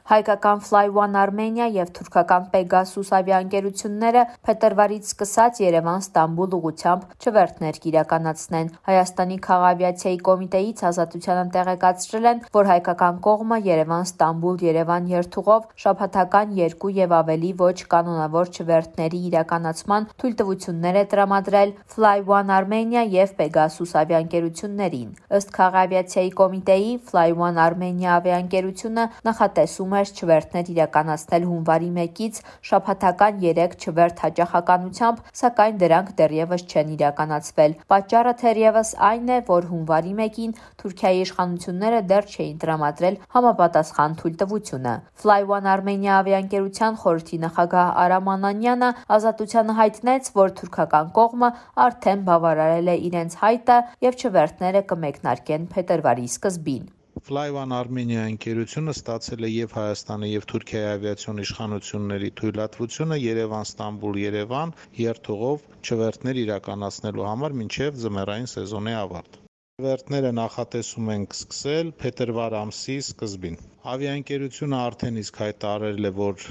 Հայկական Fly One Armenia և թուրքական Pegasus ավիաընկերությունները փետրվարից սկսած Երևան-Ստամբուլ ուղղությամբ չվերթներ կիրականացնեն։ Հայաստանի քաղավիացիայի կոմիտեից Ազատությանը տեղեկացրել են, որ հայկական կողմը Երևան-Ստամբուլ-Երևան երթուղով շաբաթական 2 և ավելի ոչ կանոնավոր չվերթների իրականացման թույլտվություններ է տրամադրել Fly One Armenia և Pegasus ավիաընկերություններին։ Ըստ քաղավիացիայի կոմիտեի, Fly One Armenia ավիաընկերությունը նախատեսում չվերթներ իրականացնել հունվարի 1-ից շաբաթական 3 չվերթ հաճախականությամբ, սակայն դրանք դեռևս չեն իրականացվել։ Պատճառը թերևս այն է, որ հունվարի 1-ին Թուրքիայի իշխանությունները դեռ չէին տրամադրել համապատասխան թույլտվությունը։ Fly One Armenia ավիաընկերության խորհրդի նախագահ Արամ Անանյանը Ազատությանը հայտնեց, որ թուրքական կողմը արդեն բավարարել է իրենց հայտը և չվերթները կմեկնարկեն փետրվարի սկզբին։ Fly One Armenia ընկերությունը ստացել է և Հայաստանի և Թուրքիայի ավիացիոն իշխանությունների թույլատվությունը Երևան-Ստամբուլ-Երևան երթուղով չվերթներ իրականացնելու համար մինչև ձմեռային սեզոնի ավարտ։ Չվերթները նախատեսում ենք սկսել փետրվար ամսի սկզբին։ Ավիաընկերությունը արդեն իսկ հայտարարել է, որ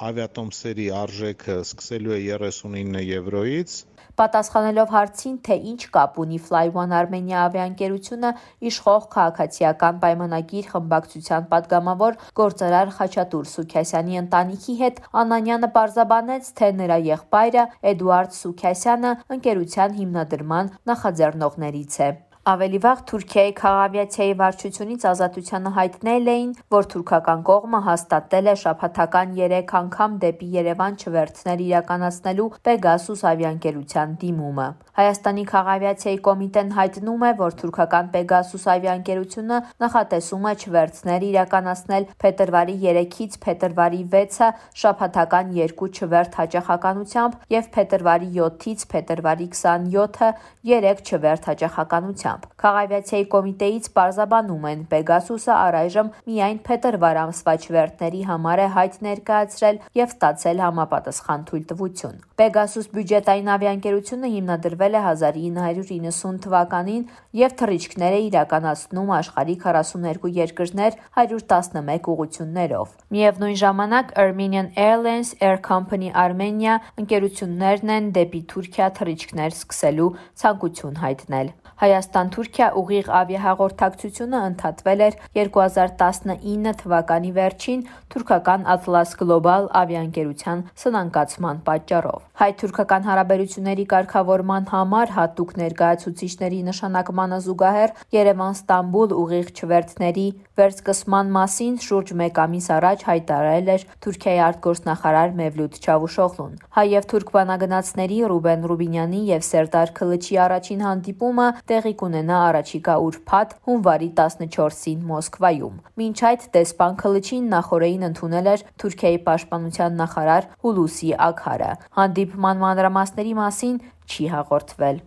ավիատոմսերի արժեքը սկսելու է 39 եվրոից։ Պատասխանելով հարցին, թե ինչ կապ ունի Fly One Armenia ավիաընկերությունը իշխող քաղաքացիական պայմանագիր խմբակցության պատգամավոր գործարար Խաչատուր Սուքասյանի ընտանիքի հետ, Անանյանը պարզաբանեց, թե նրա եղբայրը Էդուարդ Սուքասյանը ընկերության հիմնադրման նախաձեռնողներից է։ Ավելի վաղ Թուրքիայի քաղավիացիայի վարչությունից Ազատությանը հայտնել էին, որ թուրքական կողմը հաստատել է շաբաթական 3 անգամ դեպի Երևան չվերթներ իրականացնելու Pegasus ավիաընկերության դիմումը։ Հայաստանի քաղավիացիայի կոմիտեն հայտնում է, որ թուրքական Pegasus ավիաընկերությունը նախատեսում է չվերթներ իրականացնել փետրվարի 3-ից փետրվարի 6-ը շաբաթական 2 չվերթ հաճախականությամբ և փետրվարի 7-ից փետրվարի 27-ը 3 չվերթ հաճախականությամբ։ Քաղավիացիայի կոմիտեից պարզաբանում են, Pegasus-ը առայժմ միայն փետրվար ամսվա չվերթների համար է հայտ ներկայացրել և ստացել համապատասխան թույլտվություն։ Pegasus բյուջետային ավիաընկերությունը հիմնադրվել է 1990 թվականին և թռիչքներ է իրականացնում աշխարհի 42 երկրներ 111 ուղղություններով։ Միևնույն ժամանակ Armenian Airlines, Air Company Armenia ընկերություններն են դեպի Թուրքիա թռիչքներ սկսելու ցանկություն հայտնել։ Հայաստան-Թուրքիա ուղիղ ավիահաղորդակցությունը ընդհատվել էր 2019 թվականի վերջին թուրքական Atlas Global ավիաընկերության սնանկացման պատճառով։ Հայ-թուրքական հարաբերությունների կարգավորման համար հատուկ ներկայացուցիչների նշանակմանը զուգահեռ Երևան-Ստամբուլ ուղիղ չվերթների վերսկսման մասին շուրջ 1 ամիս առաջ հայտարարել էր Թուրքիայի արտգործնախարար Մևլութ Չավուշօղլուն։ Հայ և թուրք բանագնացների Ռուբեն Ռուբինյանի և Սերդար Քլիչի առաջին հանդիպումը տեղի կունենա առաջիկա ուրբաթ հունվարի 14-ին Մոսկվայում։ Մինչ այդ դեսպան Քլիչին նախօրեին ընդունել էր Թուրքիայի պաշտպանության նախարար Հուլուսի Աքարը։ Հանդիպման մանրամասների մասին չի հաղորդվել։